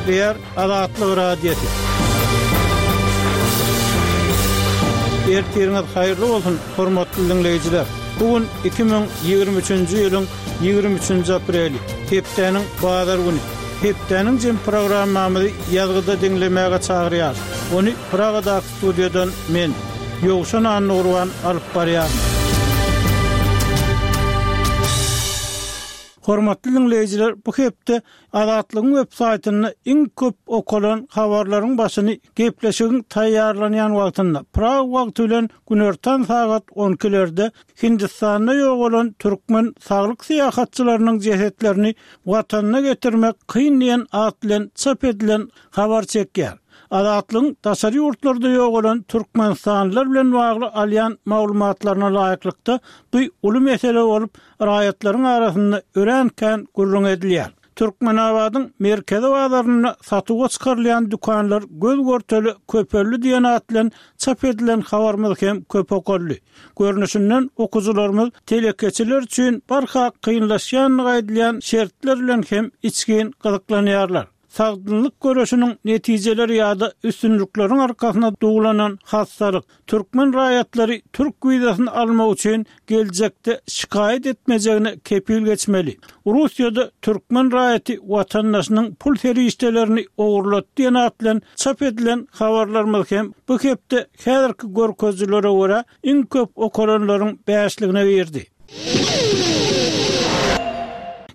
Gepleýär Azatlyk Radiosy. Ertiriňiz haýyrly bolsun, hormatly diňleýjiler! Bu gün 2023-nji ýylyň 23-nji apreli, hepdäniň bazar güni. Hepdäniň jem programmamyzy ýazgyda diňlemäge çagyrýarys. Ony Pragadaky studiýadan men, Ýowşan Annagurban alyp barýaryn. Hormatly diňleýjiler, bu hepde Azatlygyň web saýtynda iň köp okalan habarlaryň başyny gepleşigiň taýýarlanýan wagtynda, Prag wagty bilen günortan sagat on ikilerde Hindistanda ýogalan türkmen saglyk syýahatçylarynyň jesetlerini Watanyna getirmek kyn diýen at bilen çap edilen habar çekýär. Azatlygyň daşary ýurtlarda ýogalan türkmenistanlylar bilen bagly alýan maglumatlaryna laýyklykda, bu uly mesele bolup, raýatlaryň arasynda örän kän gürrüň edilýär. Türkmenabadyň merkezi bazarynda satuwa çykarylýan dükanlar göz-görtele köpeldi diýen at bilen çap edilen habarymyz hem köp okaldy. Görnüşinden, okyjylarymyz telekeçiler üçin barha kynlaşýandygy aýdylýan şertler bilen hem içgin gyzyklanýarlar. Sagdynlyk göreşiniň netijeleri ýa-da üstünlikleriň arkasyna duwlanan hassalyk, türkmen raýatlary türk wizasyny almak üçin geljekde şikaýat etmejegine kepil geçmeli. Russiýada türkmen raýaty watandaşynyň pul serişdelerini ogurlady diýen at bilen çap edilen habarlarymyz hem bu hepde häzirki görkezijilere görä iň köp okalanlaryň bäşligine girdi.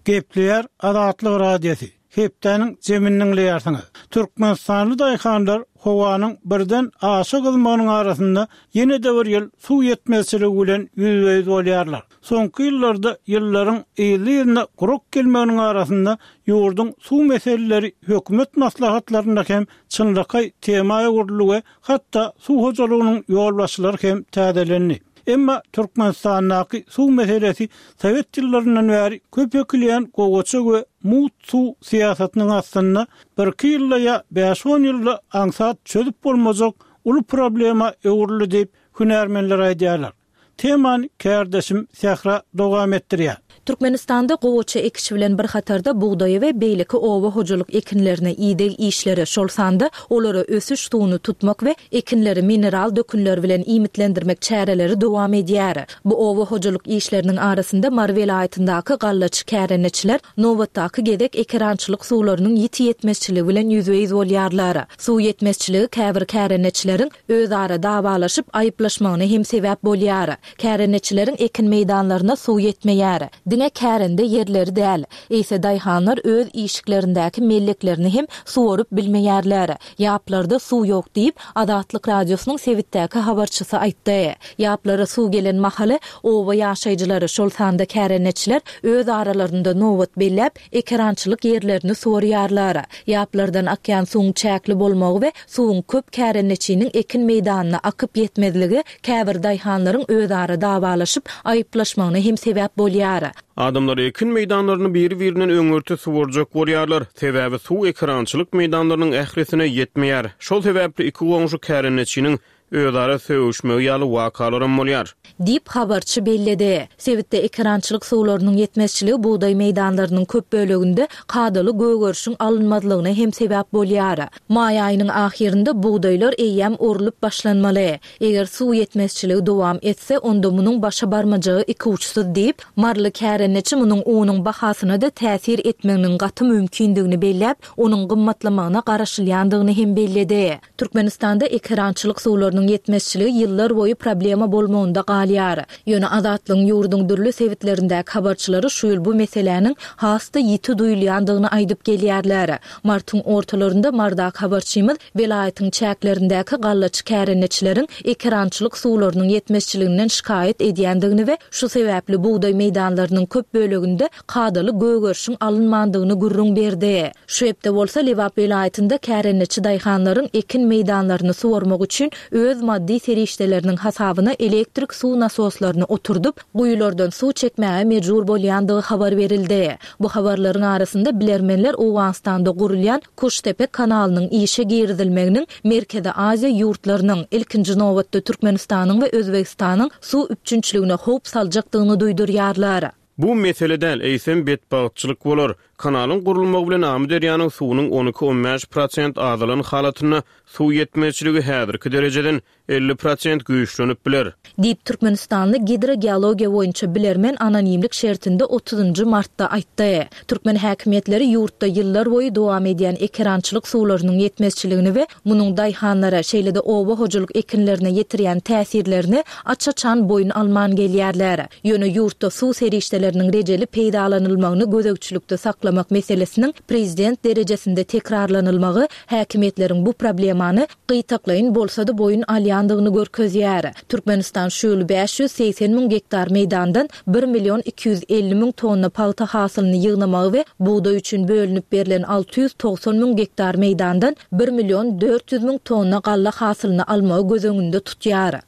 Gepleýär Azatlyk Radiosy. Hepdäniň jemini diňleýärsiňiz. Türkmenistanly daýhanlar howanyň birden aşa gyzmagynyň arasynda ýene-de bir ýyl suw ýetmezçiligi bilen ýüzbe-ýüz bolýarlar. Soňky ýyllarda ýyllaryň yzly-yzyna gurak gelmeginiň arasynda ýurduň suw meseleleri hökümet maslahatlarynda hem çynlakaý tema öwrüldi we hatda suw hojalygynyň ýolbaşçylary hem täzelendi. Emma Türkmenistandaky suw meselesi sowet ýyllaryndan bäri köp ekilýän gowaça we mugt suw syýasatynyň astynda birki ýylda ýa bäş-on ýylda aňsat çözüp bolmajak uly problema öwrüldi diýip, hünärmenler aýdýarlar. Temany kärdeşim Sähra dowam etdirýär. Türkmenistanda gowaça ekişi bilen bir hatarda bugdaýa we beýleki oba hojalyk ekinlerine ideg işleri, şol sanda olara ösüş suwuny tutmak we ekinleri mineral dökünler bilen iýmitlendirmek çäreleri dowam edýär. Bu oba hojalyk işleriniň arasynda Mary welaýatyndaky gallaçy kärendeçiler nobatdaky gezek ekerançylyk suwlarynyň ýiti ýetmezçiligi bilen ýüzbe-ýüz bolýarlar. Suw ýetmezçiligi käbir kärendeçileriň özara dawalaşyp, aýyplaşmagyna hem sebäp bolýar. Kärendeçileriň ekin meýdanlaryna suw ýetmeýär. Diňe kärende ýerleri däl, eýse daýhanlar öz işiklerindäki melleklerini hem suwaryp bilmeýärler. Ýaplarda suw ýok diýip, Azatlyk Radiosynyň sebitdäki habarçysy aýtdy. Ýaplara suw gelen mahaly, oba ýaşaýjylary, şol sanda kärendeçiler öz aralarynda nobat belläp, ekerançylyk ýerlerini suwarýarlar. Ýaplardan akýan suwuň çäkli bolmagy we suwuň köp kärendeçiniň ekin meýdanyna akyp ýetmezligi käbir daýhanlaryň özara dawalaşyp, aýyplaşmagyna hem sebäp bolýar. Adamlar ekin meýdanlaryny biri-birinden öňürti suwarjak bolýarlar. Sebäbi suw ekerançylyk meýdanlarynyň ählisine ýetmeýär. Şol sebäpli iki goňşy kärendeçiniň özara sögüşmegi ýaly wakalaram bolýar. Diýip, habarçy belledi. Sebitde ekerançylyk suwlarynyň ýetmezçiligi bugdaý meýdanlarynyň köp böleginde kadaly gögerişiň alynmazlygyna hem sebäp bolýar. Maý aýynyň ahyrynda bugdaýlar eýýäm orlup başlanmaly. Eger suw ýetmezçiligi dowam etse, onda munuň başa barmajagy ikuçsuz diýip, maryly kärendeçi munuň unuň bahasyna-da täsir etmeginiň gaty mümkindigini belläp, onuň gymmatlamagyna garaşylýandygyny hem belledi. Türkmenistanda ekerançylyk suwlarynyň ýetmezçiligi ýyllar boýy problema bolmagynda galýar. Ýöne Azatlygyň ýurduň dürli sebitlerindäki habarçylary şu ýyl bu meseläniň has-da ýiti duýulýandygyny aýdyp gelýärler. Martyň ortalarynda Marydaky habarçymyz welaýatyň çäklerindäki gallaçy kärendeçileriň ekerançylyk suwlarynyň ýetmezçiliginden şikaýat edýändigini we şu sebäpli bugdaý meýdanlarynyň köp böleginde kadaly gögerişiň alynmandygyny gürrüň berdi. Şu hepde bolsa Lebap welaýatynda kärendeçi daýhanlaryň ekin meýdanlaryny suwarmak üçin öz maddy serişdeleriniň hasabyna elektrik suw nasoslaryny oturdyp, guýulardan suw çekmäge mejbur bolýandygy habar berildi. Bu habarlaryň arasynda bilermenler Owganystanda gurulýan Kuştepe kanalynyň işe girizilmeginiň Merkezi Aziýa ýurtlarynyň, ilkinji nobatda Türkmenistanyň we Özbegistanyň suw üpjünçiligine howp saljakdygyny duýdurýarlar. Bu mesele däl, eýsem betbagtçylyk bolar. Kanalyň gurulmagy bilen Amyderýanyň suwunyň on iki-on bäş prosent azalan halatynda suw ýetmezçiligi häzirki derejeden 50 prosent güýçlenip biler. Diýip, türkmenistanly gidrogeologiýa boýunça bilermen anonimlik şertinde otuzynjy martda aýtdy. Türkmen häkimiýetleri ýurtda ýyllarboýy dowam edýän ekerançylyk suwlarynyň ýetmezçiligini we munuň daýhanlara, şeýle-de oba hojalyk ekinlerine ýetirýän täsirlerini aç-açan boýun alman gelýärler. Ýöne ýurtda suw serişdeleriniň rejeli peýdalanylmagyny gözegçilikde saklamak meselesiniň prezident derejesinde tekrarlanylmagy häkimiýetleriň bu problemany gytaklaýyn bolsa-da boýun alýandygyny görkezýär. Türkmenistan şu ýyl 580 müň gektar meýdandan bir million 250 müň tonna pagta hasylyny ýygnamagy we bugdaý üçin bölünip berlen 690 müň gektar meýdandan bir million 400 müň tonna galla hasylyny almagy göz öňünde tutýar.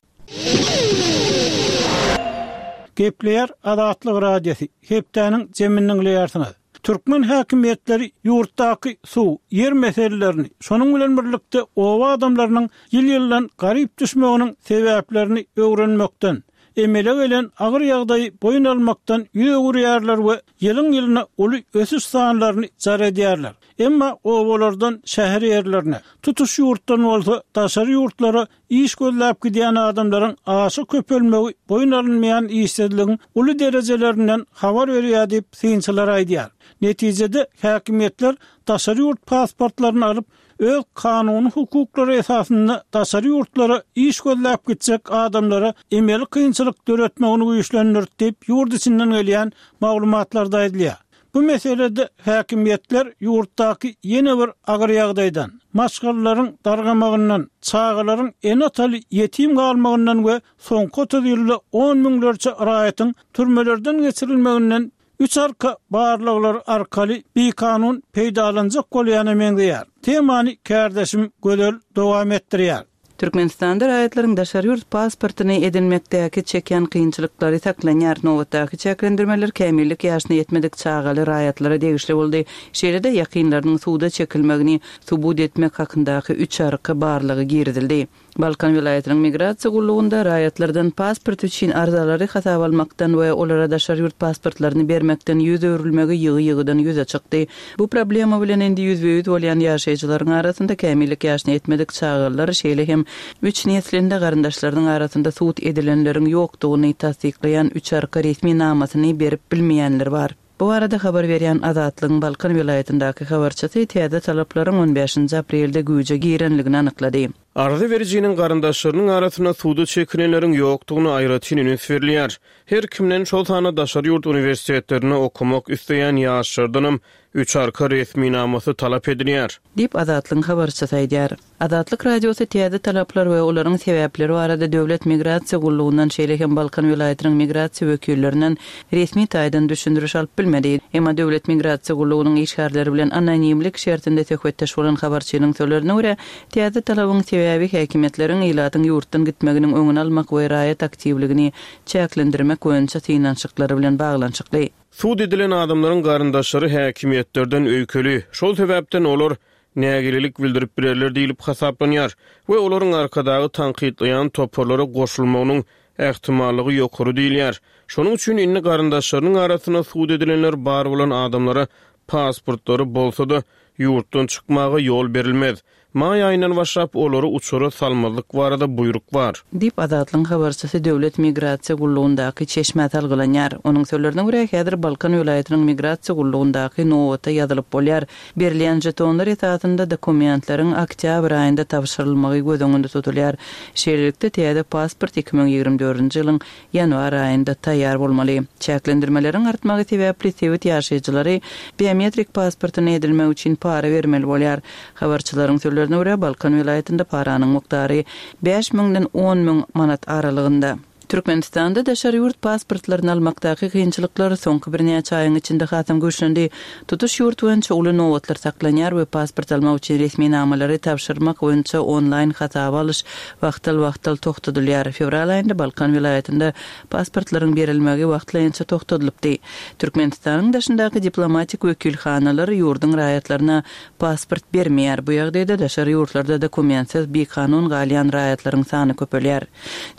Gepleýär Azatlyk Radiosy, Hepdäniň jemini diňleýärsiňiz. Türkmen häkimiýetleri ýurtdaky suw, ýer meselelerini, şonuň bilen birlikde oba adamlarynyň ýyl-ýyldan garyp düşmeginiň sebäplerini öwrenmekden, emele gelen agyr ýagdaýy boýun almakdan ýüz öwürýärler we ýylyň-ýylyna uly ösüş sanlaryny jar edýärler. Emma obalardan şäher ýerlerine, tutuş ýurtdan bolsa daşary ýurtlara Iş gözläp gidýän adamlaryň aşa köpelmegi boýun alynmaýan işsizligiň uly derejelerinden habar berýär diýip, synçylar aýdýar. Netijede, häkimiýetler daşary ýurt pasportlaryny alyp, öz kanuny hukuklary esasynda daşary ýurtlara iş gözläp gitjek adamlara emeli kynçylyk döretmegini güýçlendirdi diýip, ýurt içinden gelýän maglumatlarda aýdylýar. Bu meselede häkimiýetler ýurtdaky ýene bir agyr ýagdaýdan, maşgalalaryň dargamagyndan, çagalaryň ene-ataly ýetim galmagyndan we soňky 30 ýylda on müňlerçe raýatyň türmelerden geçirilmeginden üç arka barlaglary arkaly bikanun peýdalanjak bolýana meňzeýär. Temany kärdeşim Gözel dowam etdirýär. Türkmenistanda raýatlaryň daşary ýurt pasportyny edinmekdäki çekýän kynçylyklary saklanýar. Nobatdaky çäklendirmeler kämillik ýaşyna ýetmedik çagaly raýatlara degişli boldy. Şeýle-de ýakynlarynyň suda çekilmegini subut etmek hakyndaky üç arka barlagy girizildi. Balkan welaýatynyň migrasiýa gullugynda raýatlardan pasport üçin arzalary hasaba almakdan we olara daşary ýurt pasportlaryny bermekden ýüz öwrülmegi ýygy-ýygydan ýüze çykdy. Bu problema bilen indi ýüzbe-ýüz bolýan ýaşaýjylaryň arasynda kämillik ýaşyna ýetmedik çagalar, şeýle hem üç neslinde garyndaşlarynyň arasynda sud edilenleriň ýokdugyny tassyklaýan üç arka resminamasyny berip bilmeýänler bar. Bu barada habar berýän Azatlygyň Balkan welaýatyndaky habarçysy täze talaplaryň on bäşinji aprelde güýje girenligini anyklady. Arza berijiniň garyndaşlarynyň arasynda suda çekilenleriň ýokdugyna aýratyn üns berilýär. Her kimden, şol sanda daşary ýurt uniwersitetlerinde okamak isleýän ýaşlardanam üç arka resminamasy talap edilýär. Diýip, Azatlygyň habarçysy aýdýar. Azatlyk Radiosy täze talaplar we olaryň sebäpleri barada Döwlet migrasiýa gullugyndan, şeýle hem Balkan welaýatynyň migrasiýa wekillerinden resmi taýdan düşündiriş alyp bilmedi. Emma Döwlet migrasiýa gullugynyň işgärleri bilen anonimlik şertinde söhbetdeş bolan habarçynyň sözlerine görä, Täze talabyň sebäbi häkimiýetleriň ilatyň ýurtdan gitmeginiň öňüni almak we raýat aktiwligini çäklendirmek boýunça synanyşyklary bilen baglanyşykly. Sud edilen adamlaryň garyndaşlary häkimiýetlerden öýkeli, şol sebäpden olar nägilelik bildirip bilerler diýlip hasaplanýar we olaryň Arkadagy tankytlaýan toparlara goşulmagynyň ähtimallygy ýokary diýilýär. Şonuň üçin indi garyndaşlarynyň arasynda sud edilenler bar bolan adamlara pasportlary bolsa-da, ýurtdan çykmaga ýol berilmez. Maý aýyndan başlap olary uçara salmazlyk barada buýruk bar. Diýip, Azatlygyň habarçysy Döwlet migrasiýa gullugyndaky çeşmä salgylanýar. Onuň sözlerine görä, häzir Balkan welaýatynyň migrasiýa gullugyndaky nobata ýazylyp bolýar. Berilýän žetonlar esasynda dokumentleriň oktýabr aýynda tabşyrylmagy göz öňünde tutulýar. Şeýlelikde, täze pasport 2024-nji ýylyň ýanwar aýynda taýýar bolmaly. Çäklendirmeleriň artmagy sebäpli sebit ýaşaýjylary biometrik pasportyny edinmek üçin para bermeli bolýar. Habarçylaryň sözlerine görä, Balkan welaýatynda paranyň mukdary bäş müňden on müň manat aralygynda. Türkmenistanda daşary ýurt pasportlaryny almakdaky kynçylyklar soňky birnäçe aýyň içinde hasam güýçlendi. Tutuş ýurt boýunça uly nobatlar saklanýar we pasport almak üçin resminamalary tabşyrmak boýunça onlaýn hasaba alyş wagtal-wagtal togtadylýar. Fewral aýynda Balkan welaýatynda pasportlaryň berilmegi wagtlaýynça togtadylypdy. Türkmenistanyň daşyndaky diplomatik wekilhanalar ýurduň raýatlaryna pasport bermeýär. Bu ýagdaýda daşary ýurtlarda dokumentsiz bikanun galýan raýatlaryň sany köpelýär.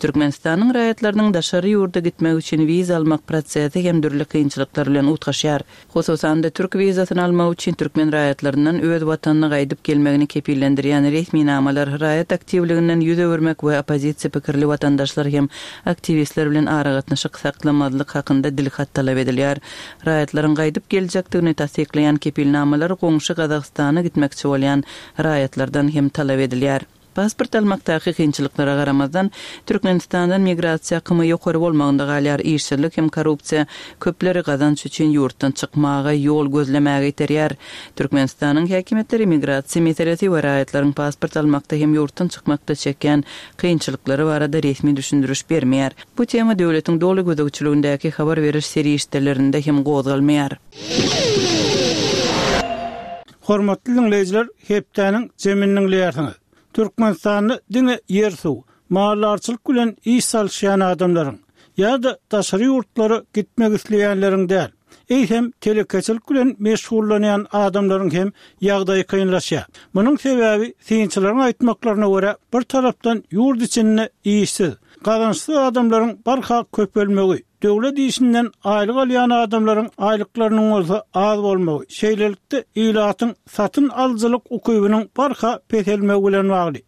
Türkmenistanyň raýatlary. raýatlarynyň daşary ýurda gitmek üçin wiza almak prosesi hem dürli kynçylyklar bilen utgaşýar. Hususan-da, türk wizasyny almak üçin türkmen raýatlaryndan öz watanyna gaýdyp gelmegini kepillendirýän resminamalar, raýat aktiwliginden ýüz öwürmek we oppozisiýa pikirli watandaşlar hem aktiwistler bilen aragatnaşyk saklamazlyk hakynda dilhat talap edilýär. Raýatlaryň gaýdyp geljekdigini tassyklaýan kepilnamalar goňşy Gazagystana gitmekçi bolýan raýatlardan hem talap edilýär. Pasport almakdaky kynçylyklara garamazdan, Türkmenistandan migrasiýa akymy ýokary bolmagynda galýar, işsizlik hem korrupsiýa köpleri gazanç üçin ýurtdan çykmaga, ýol gözlemäge iterýär. Türkmenistanyň häkimiýetleri migrasiýa meselesi we raýatlaryň pasport almakda hem ýurtdan çykmakda çekýän kynçylyklary barada resmi düşündiriş bermeýär. Bu tema döwletiň doly gözegçiligindäki habar beriş serişdelerinde hem gozgalmaýar. Hormatly diňleýjiler, hepdäniň jemini diňleýärsiňiz. Türkmenistanda diňe ýer-suw, maldarçylyk bilen iş salyşýan adamlaryň ýa-da daşary ýurtlara gitmek isleýänleriň däl, eýsem telekeçilik bilen meşgullanýan adamlaryň hem ýagdaýy kynlaşýar. Munuň sebäbi, synçylaryň aýtmaklaryna görä, bir tarapdan ýurt içinde işsiz, gazançsyz adamlaryň barha köpelmegi, Döwlet işinden aýlyk alýan adamlaryň aýlyklarynyň bolsa az bolmagy, şeýlelikde, ilatyň satyn alyjylyk ukybynyň barha peselmegi bilen bagly.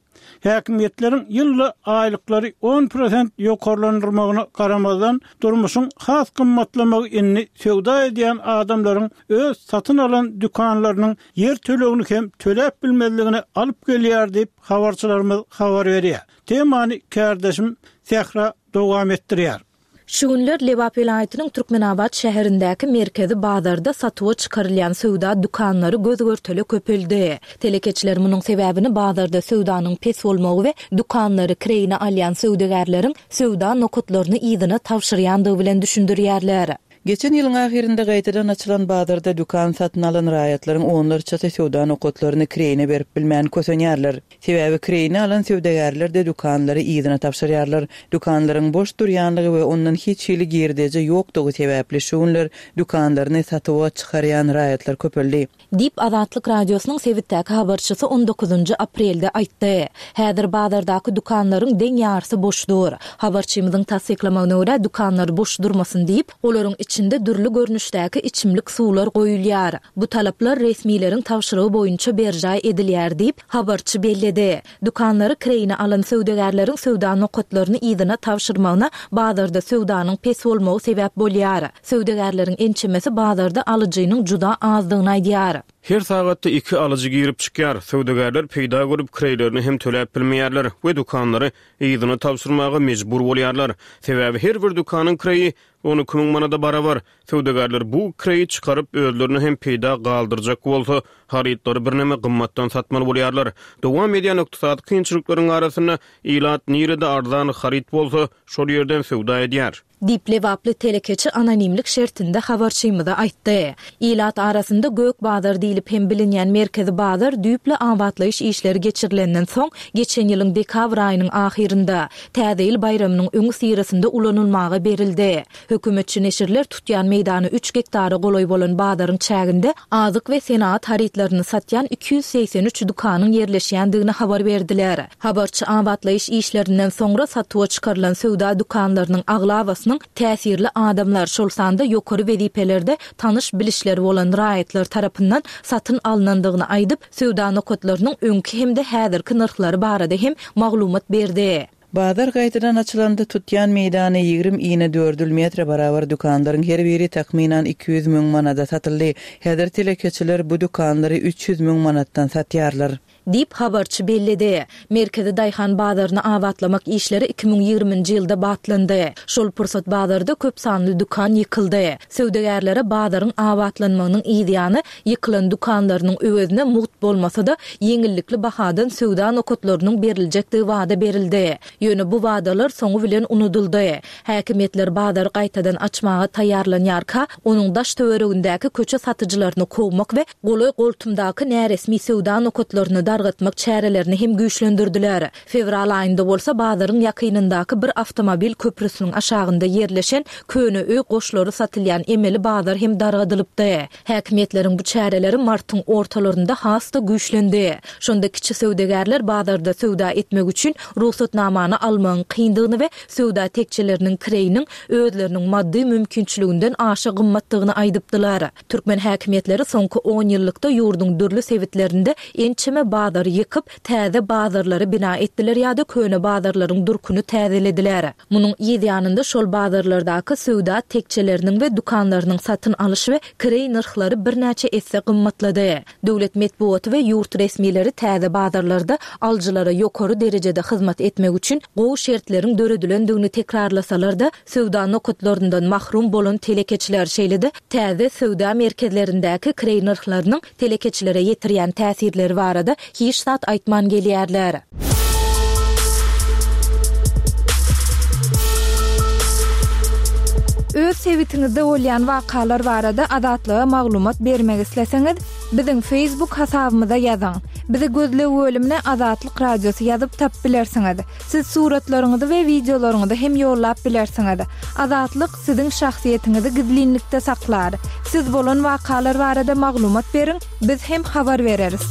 Häkimiýetleriň ýylda aýlyklary on prosent ýokarlandyrmagyna garamazdan, durmuşyň has gymmatlamagy indi söwda edýän adamlaryň öz satyn alan dükanlarynyň ýer tölegini hem töläp bilmezligine alyp gelýär diýip, habarçylarymyz habar berýär. Temany kärdeşim Sähra dowam etdirýär. Şu günler Lebap welaýatynyň Türkmenabat şäherindäki merkezi bazarda satuwa çykarylýan söwda dükanlary göz-görtele köpeldi. Telekeçiler munuň sebäbini bazarda söwdanyň pes bolmagy we dükanlary kireýine alýan söwdagärleriň söwda nokatlaryny yzyna tabşyrýandygy bilen düşündirýärler. Geçen ýylyň ahyrynda gaýtadan açylan bazarda dükan satyn alan raýatlaryň onlarçasy söwda nokatlaryny kireýine berip bilmän kösenýärler. Sebäbi kireýine alan söwdagärler-de dükanlary yzyna tabşyrýarlar. Dükanlaryň boş durýanlygy we ondan hiç hili girdeji ýokdugy sebäpli şu günler dükanlaryny satuwa çykarýan raýatlar köpeldi. Diýip, Azatlyk Radiosynyň sebitdäki habarçysy on dokuzynjy aprelde aýtdy. Häzir bazardaky dükanlaryň deň ýarysy boş dur. Habarçymyzyň tassyklamagyna görä, dükanlar boş durmasyn diýip, olaryň içinde dürli görnüşdäki içimlik suwlar goýulýar. Bu talaplar resmileriň tabşyrygy boýunça berjaý edilýär diýip, habarçy belledi. Dükanlary kireýine alan söwdagärleriň söwda nokatlaryny yzyna tabşyrmagyna bazarda söwdanyň pes bolmagy sebäp bolýar. Söwdagärleriň ençemesi bazarda alyjynyň juda azdygyny aýdýar. Her sagatda iki alyjy girip çykýar. Söwdagärler peýda görüp, kireýlerini hem töläp bilmeýärler we dükanlary yzyna tabşyrmaga mejbur bolýarlar. Sebäbi her bir dükanyň kireýi 12 müň manada barabar. Söwdagärler bu kireýi çykaryp, özlerine hem peýda galdyrjak bolsa, harytlary birneme gymmatdan satmaly bolýarlar. Dowam edýän ykdysady kynçylyklaryň arasynda ilat nirede arzan haryt bolsa, şol ýerden söwda edýär. Diýip, lebaply telekeçi anonimlik şertinde habarçymyza aýtdy. Ilat arasynda Gök bazar diýlip hem bilinýän merkezi bazar düýpli abatlaýyş işleri geçirilenden soň, geçen ýylyň dekabr aýynyň ahyrynda, Täze ýyl baýramynyň öňüsyrasynda ulanylmaga berildi. Hökümetçi neşirler tutýan meýdany üç gektara golaý bolan bazaryň çäginde azyk we senagat harytlaryny satýan 283 dükanyň ýerleşýändigini habar berdiler. Habarçy abatlaýyş işlerinden soňra satuwa çykarylan söwda dükanlarynyň aglabasynyň täsirli adamlar, şol sanda ýokary wezipelerde tanyş-bilişleri bolan raýatlar tarapyndan satyn alnandygyny aýdyp, söwda nokatlarynyň öňki hem-de häzirki nyrhlary barada hem maglumat berdi. Bazar gaýtadan açylanda tutýan meýdany 20 inedördül metre barabar dükanlaryň her biri takmynan 200 müň manada satyldy. Häzir telekeçiler bu dükanlary 300 müň manatdan satýarlar. Diýip, habarçy belledi. Merkezi daýhan bazaryny abatlamak işleri 2020-nji ýylda batlandy. Şol pursat bazarda köp sanly dükan ýykyldy. Söwdagärlere bazaryň abatlanmagynyň yzýany ýykylan dükanlarynyň öwezine mugt bolmasa-da, ýeňillikli bahadan söwda nokatlarynyň beriljekdigi wada berildi. Ýöne bu wadalar soňy bilen unudyldy. Häkimiýetler bazary gaýtadan açmaga taýýarlanýarka, onuň daş-töweregindäki köçe satyjylaryny kowmak we golaý-goltumdaky näresmi söwda nokatlaryny dargatmak çärelerini hem güýçlendirdiler. Fewral aýynda bolsa bazaryň ýakynyndaky bir awtomobil köprüsiniň aşagynda ýerleşen köne öý goşlary satylýan emeli bazar hem dargadylypdy. Häkimiýetleriň bu çäreleri martyň ortalarynda has-da güýçlendi. Şonda kiçi söwdagärler bazarda söwda etmek üçin rugsatnamany. nyşana almagyň kyndygyny we söwda tekjeleriniň kireýiniň özleriniň maddy mümkinçiliginden aşa gymmatdygyny aýdypdylar. Türkmen häkimiýetleri soňky onýyllykda ýurduň dürli sebitlerinde ençeme bazary ýykyp, täze bazarlary bina etdiler ýa-da köne bazarlaryň durkuny täzelediler. Munuň yz ýanynda şol bazarlardaky söwda tekjeleriniň we dükanlarynyň satyn alyş we kireý nyrhlary birnäçe esse gymmatlady. Döwlet metbugaty we ýurt resmileri täze bazarlarda alyjylara ýokary derejede hyzmat etmek üçin gowy şertleriň döredilendigini tekrarlasalar-da, söwda nokatlaryndan mahrum bolan telekeçiler, şeýle-de täze söwda merkezlerindäki kireý nyrhlarynyň telekeçilere ýetirýän täsirleri barada hiç zat aýtman gelýärler. Öz sebitiňizde bolýan wakalar barada Azatlyga maglumat bermek isleseňiz, biziň Facebook hasabymyza ýazyň. Bizi gözleg bölümine Azatlyk Radiosy ýazyp tapyp bilersiňiz. Siz suratlaryňyzy we wideolaryňyzy hem ýollap bilersiňiz. Azatlyk siziň şahsyýetiňizi gizlinlikde saklar. Siz bolan wakalar barada maglumat beriň, biz hem habar bereris.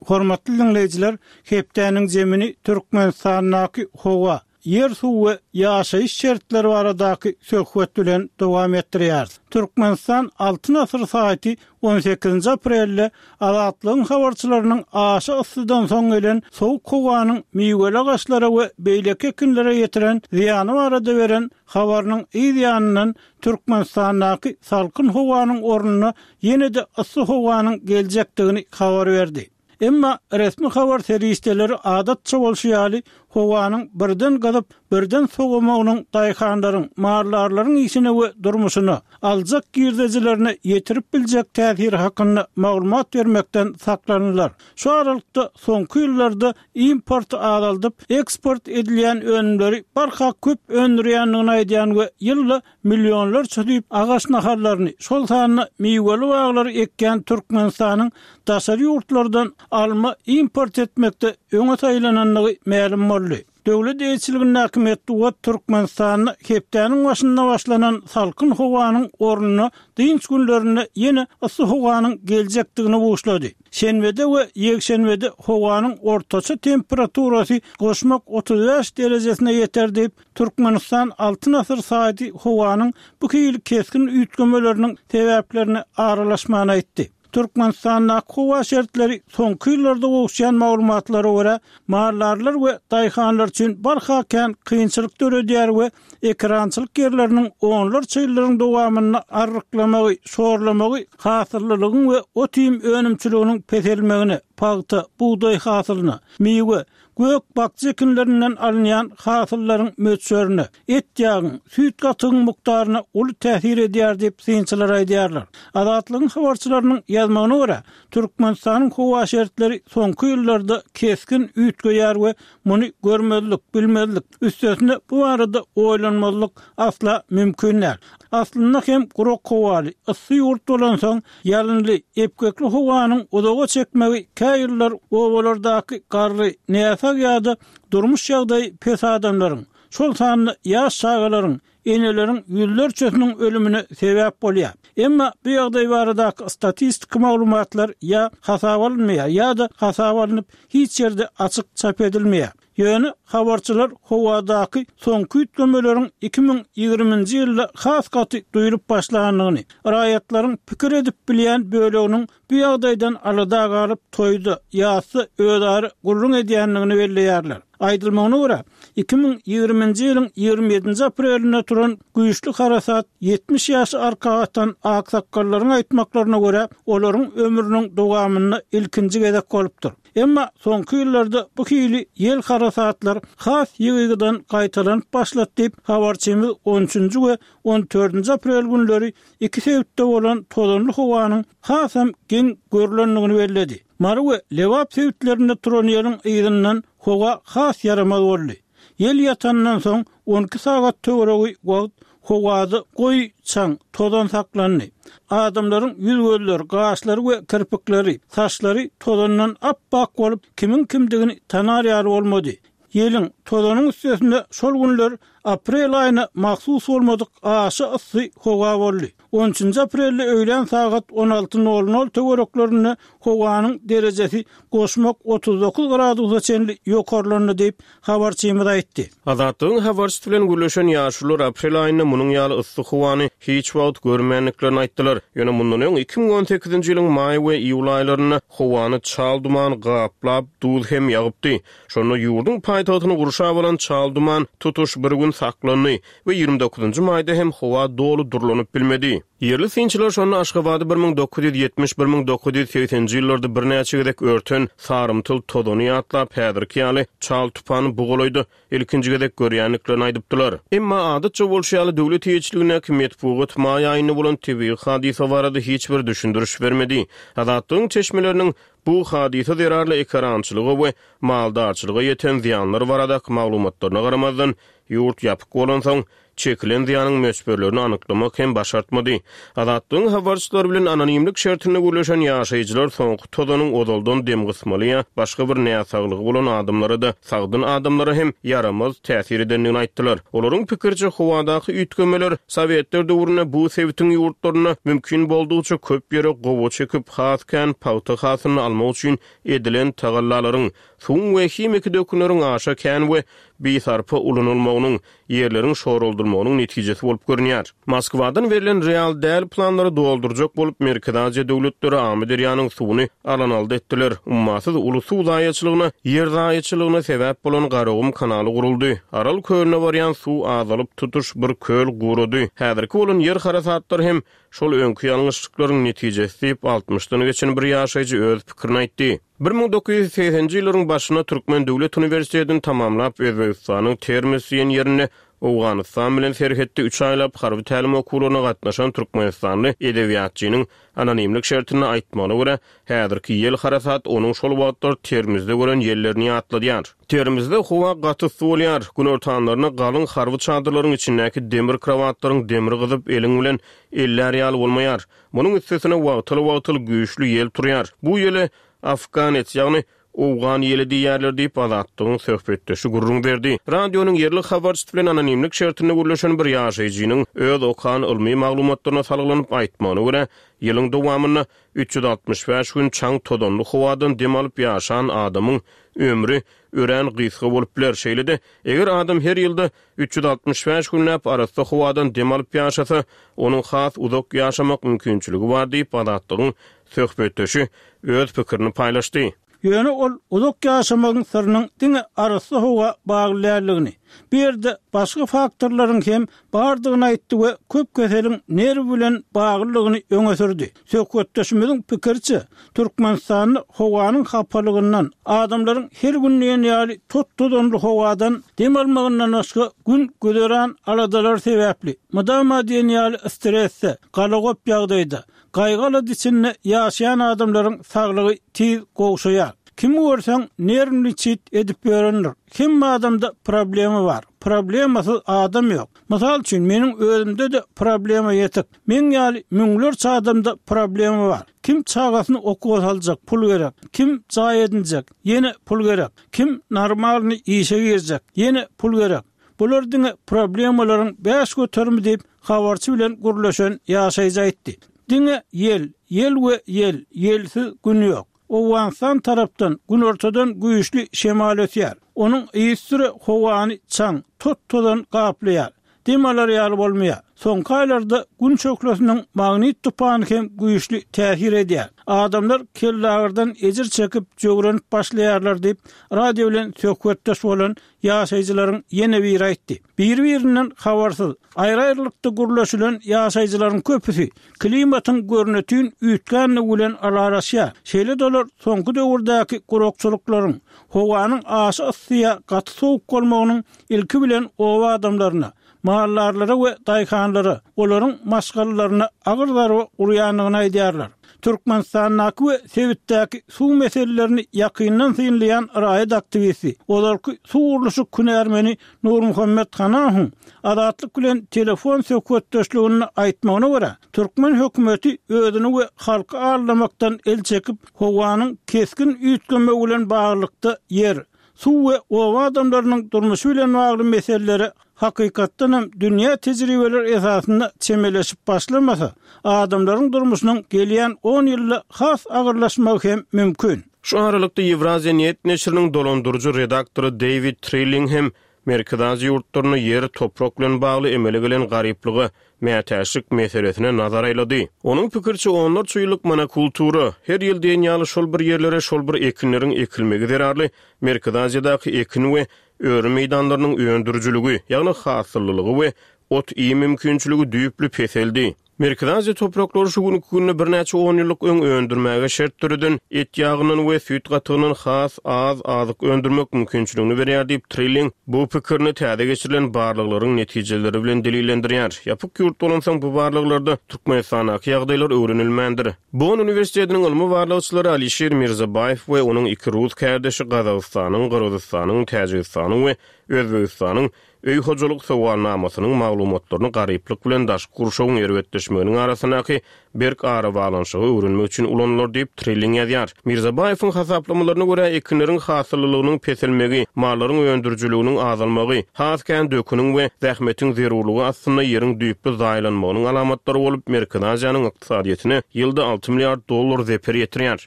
Hormatly diňleýjiler, hepdäniň zemini Türkmenistandaky howa, ýer-suw we ýaşaýyş şertleri baradaky söhbet bilen dowam etdirýäris. Türkmenistan Altyn asyr saýty on sekizinji aprelde Azatlygyň habarçylarynyň aşa yssydan soň gelen sowuk howanyň miweli agaçlara we beýleki ekinlere ýetiren zyýany barada beren habarynyň yz ýanyndan Türkmenistandaky salkyn howanyň ornuna ýene-de yssy howanyň geljekdigini habar berdi. Emma resmi habar serişdeleri adatça bolşy ýaly, howanyň birden gyzyp, birden sowamagynyň daýhanlaryň, maldarlaryň işine we durmuşyna, aljak girdejilerine ýetirip biljek täsiri hakynda maglumat bermekden saklandylar. Şu aralykda, soňky ýyllarda importy azaldyp, eksport edilýän önümleri barha köp öndürýändigini aýdýan we ýylda millionlarça düýp agaç nahallaryny, şol sanda miweli baglary ekýän Türkmenistanyň daşary ýurtlardan alma import etmekde öňe saýlanandygy mälim boldy. Döwlet eýeçiligindäki metbugat Türkmenistanda hepdäniň başynda başlanan salkyn howanyň ornuna dynç günlerinde ýene yssy howanyň geljekdigini buşlady. Şenbede we ýekşenbede howanyň ortaça temperaturasy goşmak 35 derejesine ýeter diýip, Türkmenistan Altyn asyr saýty howanyň bu hili kesgin üýtgemeleriniň sebäplerine aralaşmany aýtdy. Türkmenistandaky howa şertleri soňky ýyllarda gowuşýan maglumatlara görä, maldarlar we daýhanlar üçin barha kän kynçylyk döredýär we ekerançylyk ýerleriniň onlarça ýyllaryň dowamynda arryklamagy, şorlamagy hasyllylygyň we ot-iým önümçiliginiň peselmegine, pagta, bugdaý hasylyna, miwe, gök-bakja ekinlerinden alynýan hasyllaryň möçberine, et-ýagyň, süýt-gatygyň mukdaryna uly täsir edýär diýip, synçylar aýdýarlar. Azatlygyň habarçylarynyň ýazmagyna görä, Türkmenistanyň howa şertleri soňky ýyllarda kesgin üýtgeýär we muny görmezlik, bilmezlik, üstesine bu barada oýlanmazlyk asla mümkin däl. Aslynda hem gurak howaly, yssy ýurt bolansoň, Ýalynly, epgekli howanyň uzaga çekmegi kä ýyllar obalardaky garry, näsag ýa-da durmuş ýagdaýy pes adamlaryň, şol sanda ýaş çagalaryň, eneleriň ýüzlerçesiniň ölümine sebäp bolýar. Emma bu ýagdaý baradaky statistiki maglumatlar ýa hasaba alynmaýar ýa-da hasaba alnyp hiç ýerde açyk çap edilmeýär. Ýöne habarçylar howadaky soňky üýtgemeleriň 2020-nji ýylda has gaty duýlup başlandygyny, raýatlaryň pikir edip bilýän böleginiň bu ýagdaýdan alada galyp, toýda, ýasda özara gürrüň edýändigini belleýärler. Aýdylmagyna görä, 2020-nji ýylyň 27-nji aprelinde turan güýçli harasat 70 ýaşy arka atan aksakgallaryň aýtmaklaryna görä, olaryň ömrüniň dowamynda ilkinji gezek bolupdyr. Emma soňky ýyllarda bu hili ýel harasatlar has ýygy-ýygydan gaýtalanyp başlady diýip, habarçymyz on üçünji we on dördünji aprel günleri iki sebitde bolan tozanly howanyň hasam geň görlendigini belledi. Mary we Lebap sebitlerinde turan ýeliň yzyndan howa has ýaramaz boldy. Ýel ýatandan soň 12 sagat töweregi wagt howada goýy çaň, tozan saklandy. Adamlaryň ýüz-gözleri, gaşlary we kirpikleri, saçlary tozandan ap-ak bolup, kimiň kimdigini tanar ýaly bolmady. Ýeliň, Tozanyň üstesine şol günler aprel aýyna mahsus bolmadyk aşa yssy howa boldy. On üçünji aprelde öýlän sagat 16 nol nol töwereklerinde howanyň derejesi goşmak 39 gradusa çenli ýokarlandy diýip, habarçymyz aýtdy. Azatlygyň habarçysy bilen gürleşen ýaşulular aprel aýynda munuň ýaly yssy howany hiç wagt görmändiklerini aýtdylar. Ýöne mundan öň, 2018-nji ýylyň maý we iýul aýlarynda howany çal duman gaplap, duz hem ýagypdy. Şonda ýurduň paýtagtyny gurşap alan çal duman tutuş bir gün saklandy we 29-njy maýda hem howa doly durlanyp bilmedi. Ýerli synçylar şonda Aşgabady 1970, 1980-nji ýyllarda birnäçe gezek örten sarymtyl tozany ýatlap, häzirki ýaly çal tupany bu golaýda ilkinji gezek görýändiklerini aýdypdylar. Emma adatça bolşy ýaly döwlet eýeçiligindäki metbugat maý aýynda bolan tebigy hadysa barada hiç bir düşündiriş bermedi. Azatlygyň çeşmeleriniň bu hadysa zerarly ekerançylyga we maldarçylyga ýeten zyýanlar baradaky maglumatlaryna garamazdan, ýurt ýapyk bolansoň, çekilen zyýanyň möçberlerini anyklamak hem başartmady. Azatlygyň habarçylary bilen anonimlik şertinde gürleşen ýaşaýjylar soňky tozanyň ozaldan demgysmaly ýa başga bir näsaglygy bolan adamlara-da, sagdyn adamlara hem ýaramaz täsir edendigini aýtdylar. Olaryň pikiriçe, howadaky üýtgemeler sowetler döwründe bu sebitiň ýurtlarynda mümkin boldugyça köp ýere gowaça ekip, has kän pagta hasylyny almak üçin edilen tagallalaryň, suwuň we himiki dökünleriň aşa kän we bisarpa ulanylmagynyň, ýerleriň şoraldylmagynyň netijesi bolup görünýär. Moskwadan berlen real däl planlary doldurjak bolup, Merkezi Aziýa döwletleri Amyderýanyň suwuny alan-aldy etdiler. Ummasyz uly suw zaýaçylygyna, ýer zaýaçylygyna sebäp bolan Garagum kanaly guruldy. Aral kölüne barýan suw azalyp, tutuş bir köl gurady. Häzirki bolan ýer harasatlary hem şol öňki ýalňyşlyklaryň netijesi diýip, altmyşdan geçen bir ýaşaýjy öz pikirini aýtdy. 1980-nji ýyllaryň başynda Türkmen döwlet uniwersitetini tamamlap, Özbegistanyň Termez diýen ýerinde Owganystan bilen serhetde üç aýlap harby tälim okuwlaryna gatnaşan türkmenistanly edebiýatçynyň anonimlik şertinde aýtmagyna görä, häzirki ýel harasat onuň şol wagtlar Termizde gören ýellerini ýatladýar. Termizde howa gaty yssy bolýar. Günortanlaryna galyň harby çadyrlaryň içindäki demir krowatlaryň demri gyzyp, eliň bilen ellär ýaly bolmaýar. Munuň üstesine wagtal-wagtal güýçli ýel turýar. Bu ýele afganets, ýagny owgan ýeli diýýärler diýip, Azatlygyň söhbetdeşi gürrüň berdi. Radionyň ýerli habarçysy bilen anonimlik şertinde gürleşen bir ýaşaýjynyň öz okan ylmy maglumatlaryna salgylanyp aýtmagyna görä, ýylyň dowamynda 365 gün çaň-tozanly howadan dem alyp ýaşan adamyň ömri örän gysga bolup biler. Şeýle-de, eger adam her ýylda 365 günläp arassa howadan dem alyp ýaşasa, onuň has uzak ýaşamak mümkinçiligi bar diýip, Azatlygyň söhbetdeşi öz pikirini paýlaşdy. Ýöne ol uzak ýaşamagyň syrynyň diňe arassa howa bagly däldigini, bu ýerde başga faktorlaryň hem bardygyny aýtdy we köp keseliň nerw bilen baglydygyny öňe sürdi. Söhbetdeşimiziň pikiriçe, Türkmenistanda howanyň hapalygyndan, adamlaryň her gün diýen ýaly tot-tozanly howadan dem almagyndan başga gün-güzeran aladalary sebäpli, mydama diýen ýaly stresde, galagop ýagdaýda, gaýgy-alada içinde ýaşaýan adamlaryň saglygy tiz gowşaýar. Kimi görseň, nerwniçit edip ýörendir. Hemme adamda problema bar. Problemasyz adam ýok. Mysal üçin, meniň özümde-de problema ýetik. Meň ýaly müňlerçe adamda problema bar. Kim çagasyny okuwa saljak, pul gerek. Kim jaý edinjek, ýene pul gerek. Kim normalnyý işe girjek, ýene pul gerek. Bular diňe problemalaryň 5 göterimi diýip, habarçy bilen gürleşen ýaşaýjy aýtdy. Diňe ýel, ýel we ýel, ýelsiz gün ýok. Owganystan tarapdan, günortadan güýçli şemal ösýär. Onuň yzysüre howany çaň, tot-tozan gaplaýar. Dem alar ýaly bolmaýar. Soňky aýlarda Gün şöhlesiniň magnit tupany hem güýçli täsir edýär. Adamlar kellagyrdan ejir çekip, jöwrenip başlaýarlar diýip, radio bilen söhbetdeş bolan ýaşaýjylaryň ýene biri aýtdy. Biri-birinden habarsyz, aýry-aýrylykda gürleşilen ýaşaýjylaryň köpüsi klimatyň görnetin üýtgändigi bilen ylalaşýar. Şeýle-de olar soňky döwürdäki gurakçylyklaryň, howanyň aşa yssy ýa gaty sowuk bolmagynyň ilki bilen oba adamlaryna, maldarlara we daýhanlara, olaryň maşgalalaryna agyr zarba urýandygyny aýdýarlar. Türkmenistandaky we sebitdäki suw meselelerini ýakyndan synlaýan raýat aktiwisti, ozalky suw gurluşyk hünärmeni Nurmuhammet Hanahowyň Azatlyk bilen telefon söhbetdeşliginde aýtmagyna görä, türkmen hökümeti özüni we halky aldamakdan el çekip, howanyň kesgin üýtgemegi bilen baglylykda ýer, Suw we oba adamlarynyň durmuşy bilen bagly meselelere hakykatdan hem dünýä tejribeleri esasynda çemeleşip başlamasa, adamlaryň durmuşynyň gelýän on ýylda has agyrlaşmagy hem mümkin. Şu aralykda Ýewraziýa Net neşiriniň dolandyryjy redaktory Deýwid Trilling hem Merkezi Aziýa ýurtlarynda ýer, toprak bilen bagly emele gelen garyplyga mätäçlik meselesine nazar aýlady. Onuň pikiriçe, onlarça ýyllyk monokultura, her ýyl diýen ýaly şol bir ýerlere şol bir ekinleriň ekilmegi zerarly Merkezi Aziýadaky ekin we öri meýdanlarynyň öndürijiligi, ýagny hasyllylygy we ot-iým mümkinçiligi düýpli peseldi. Merkezi Aziýa topraklary şu günki günde birnäçe onýyllyk öň öndürmäge şert döreden et ýagyndan we süýt gatygyndan has az azyk öndürmek mümkinçiligini berýär diýip, Trilling bu pikirini täze geçirilen barlaglaryň netijeleri bilen delillendirýär. Ýapyk ýurt bolansoň bu barlaglarda Türkmenistandaky ýagdaýlar öwrenilmändir. Bonn uniwersitetiniň ylmy barlagçylary Alişir Mirzabaýew we onuň iki rus kärdeşi Gazagystanyň, Gyrgyzystanyň, Täjigistanyň we Özbegistanyň Öý hojalyk sowalnamasynyň maglumatlaryny garyplyk bilen daşky gurşawyň erbetleşmeginiň arasyndaky berk arabaglanyşygy öwrenmek üçin ulanylar diýip, Trilling ýazýar. Mirzabaýewiň hasaplamalaryna görä, ekinleriň hasyllylygynyň peselmegi, mallaryň öndürijiliginiň azalmagy, has kän döküniň we zähmetiň zerurlygy astynda ýeriň düýpli zaýalanmagynyň alamatlary bolup, Merkezi Aziýanyň ykdysadyýetine ýylda 6 milliard dollar zeper ýetirýär.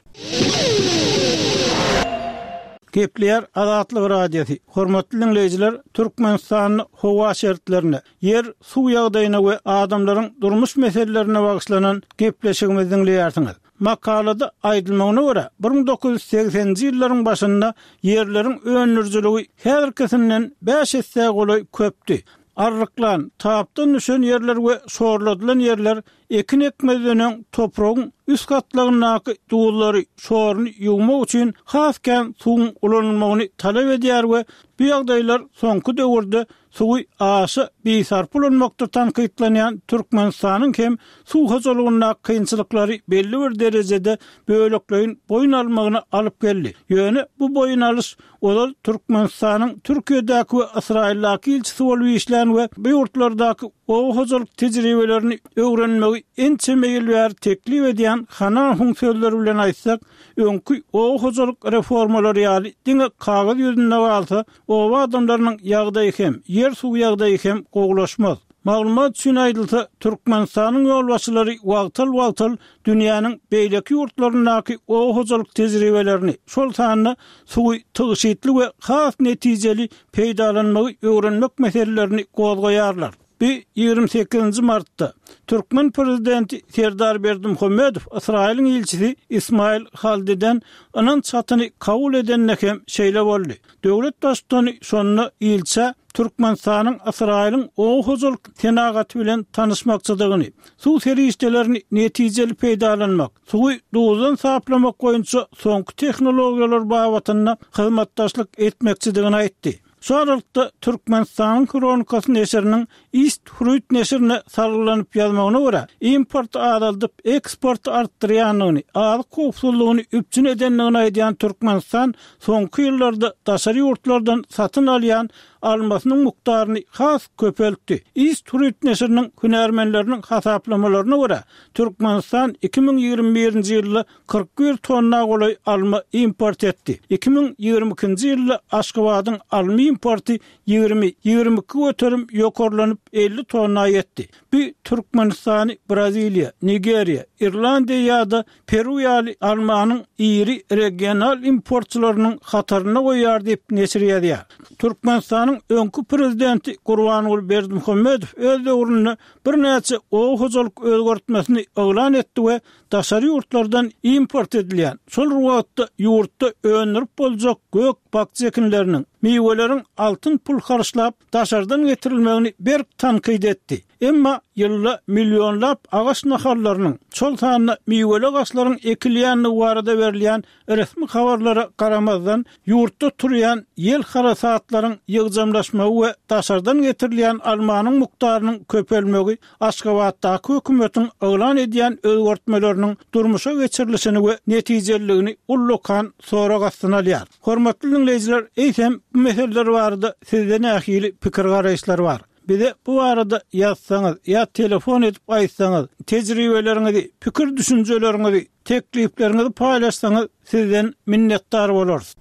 Gepleýär Azatlyk Radiosy, Hormatly diňleýjiler, Türkmenistanda howa şertlerine, ýer, suw ýagdaýyna we adamlaryň durmuş meselelerine bagyşlanan gepleşigimizi diňleýärsiňiz. Makalada aýdylmagyna görä, 1980-nji ýyllaryň başynda ýerleriň öndürijiligi häzirkisinden bäş essä golaý köpdi. Arryklan, tapdan düşen ýerler we şorladylan ýerler Ekin ekmezden öň topragyň üst gatlagyndaky duzlary, şoruny ýuwmak üçin has kän suwuň ulanylmagyny talap edýär we bu ýagdaýlar soňky döwürde suwy aşa bisarpa ulanmakda tankytlanýan Türkmenistanyň hem suw hojalygyndaky kynçylyklary belli bir derejede bölekleýin boýun almagyna alyp geldi. Ýöne bu boýun alyş ozal Türkmenistanyň Türkiýedäki we Ysraýyldaky ilçisi bolup işlän we bu ýurtlardaky oba hojalyk tejribelerini öwrenmegi ençeme ýyl bäri teklip edýän Hanahuň sözleri bilen aýtsak, öňki oba hojalyk reformalary ýaly diňe kagyz ýüzünde galsa, oba adamlarynyň ýagdaýy hem, ýer-suw ýagdaýy hem gowulaşmaz. Maglumat üçin aýdylsa, Türkmenistanyň ýolbaşçylary wagtal-wagtal dünýäniň beýleki ýurtlaryndaky oba hojalyk tejribelerini, şol sanda suwy tygşytly we has netijeli peýdalanmagy öwrenmek meselelerini gozgaýarlar. Bu 28-nji martda türkmen prezidenti Serdar Berdimuhamedow Ysraýylyň ilçisi Ismail Haldiden ynanç hatyny kabul edende hem şeýle boldy. Döwlet Baştutany şonda ilçä Türkmenistanyň Ysraýylyň oba hojalyk senagaty bilen tanyşmakçydygyny, suw serişdelerini netijeli peýdalanmak, suwy duzdan saplamak boýunça soňky tehnologiýalar babatynda hyzmatdaşlyk etmekçidigini aýtdy. Şu aralykda, Türkmenistanyň Hronikasy neşiriniň East Fruit neşirine salgylanyp ýazmagyna görä, importy azaldyp, eksporty artdyrýandygyny, azyk howpsuzlygyny üpjün edendigini aýdýan Türkmenistan soňky ýyllarda daşary ýurtlardan satyn alýan almasynyň mukdaryny has köpeltdi. East Fruit neşiriniň hünärmenleriniň hasaplamalaryna görä, Türkmenistan 2021-nji ýylda 41 tonna golaý alma import etdi. 2022-nji ýylda Aşgabadyň alma importy 20, 22 göterim ýokarlanyp, 50 tonna ýetdi. Bu Türkmenistany Braziliýa, Nigeriýa, Irlandiýa ýa-da Peru ýaly almanyň iri regional importçylarynyň hatarynda goýýar diýip, neşir ýazýar. Türkmenistanyň öňki prezidenti Gurbanguly Berdimuhamedow öz döwründe birnäçe oba hojalyk özgertmesini yglan etdi we daşary ýurtlardan import edilýän, şol bir wagtda ýurtda öndürip boljak gök-bakja ekinleriniň, miweleriň altyn pul harçlap daşardan getirilmegini berk tankyt etdi. Emma ýylda millionlap agaç nahallarynyň, şol sanda miweli agaçlaryň ekilýändigi barada berilýän Resmi habarlara garamazdan, ýurtda turýan ýel-harasatlaryň ýygjamlaşmagy we daşardan getirilýän almanyň mukdarynyň köpelmegi Aşgabatdaky hökümetiň yglan edýän özgertmeleriniň durmuşa geçirilişini we netijeliligini ullakan sorag astyna alýar. Hormatly diňleýjiler, eýsem, bu meseleler barada sizde nähili pikir-garaýyşlar bar? Bize bu barada ýazsaňyz ýa telefon edip aýtsaňyz, tejribeleriňizi, pikir-düşünjeleriňizi, teklipleriňizi paýlaşsaňyz sizden minnetdar bolarys.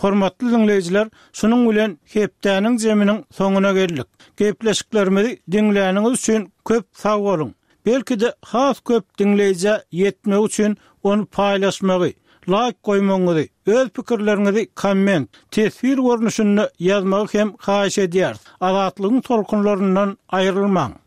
Hormatly diňleýjiler, şunuň bilen hepdäniň jeminiň soňuna geldik. Gepleşiklerimizi diňläniňiz üçin köp sag boluň! Belki-de has köp diňleýjä ýetmegi üçin ony paýlaşmagy, laýk goýmagyňyzy, öz pikirleriňizi komment, teswir görnüşinde ýazmagy hem haýyş edýäris. Azatlygyň tolkunlaryndan aýrylmaň!